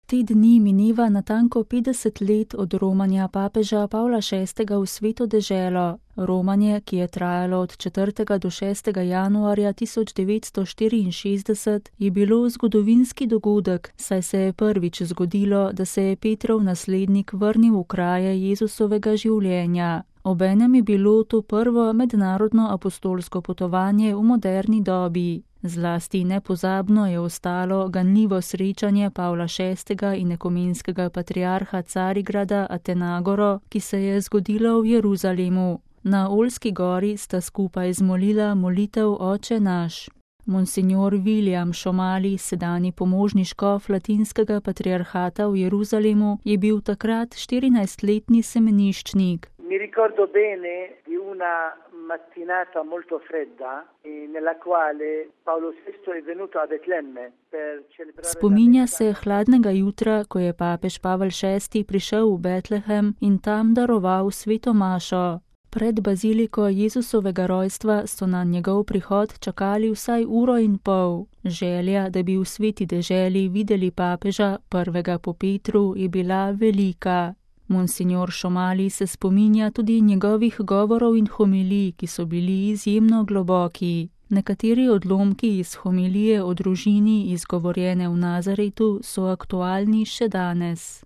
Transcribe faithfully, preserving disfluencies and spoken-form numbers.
Te dni mineva natanko petdeset let od romanja papeža Pavla šestega v Sveto deželo. Romanje, ki je trajalo od četrtega do šestega januarja tisoč devetsto štiriinšestdeset, je bilo zgodovinski dogodek, saj se je prvič zgodilo, da se je Petrov naslednik vrnil v kraje Jezusovega življenja. Obenem je bilo to prvo mednarodno apostolsko potovanje v moderni dobi. Zlasti nepozabno je ostalo ganljivo srečanje Pavla šestega in ekumenskega patriarha Carigrada Atenagoro, ki se je zgodilo v Jeruzalemu. Na Oljski gori sta skupaj zmolila molitev Oče naš. Monsignor William Šomali, sedanji pomožni škof latinskega patriarhata v Jeruzalemu, je bil takrat štirinajstletni semeniščnik. Mi ricordo bene di una mattinata molto fredda nella quale Paolo sesto è venuto a Betlemme per celebrare. Spominja se hladnega jutra, ko je papež Pavel šesti prišel v Betlehem in tam daroval sveto mašo. Pred baziliko Jezusovega rojstva so na njegov prihod čakali vsaj uro in pol. Želja, da bi v sveti deželi videli papeža, prvega po Petru, je bila velika. Monsignor Šomali se spominja tudi njegovih govorov in homilij, ki so bili izjemno globoki. Nekateri odlomki iz homilije o družini, izgovorjene v Nazaretu, so aktualni še danes.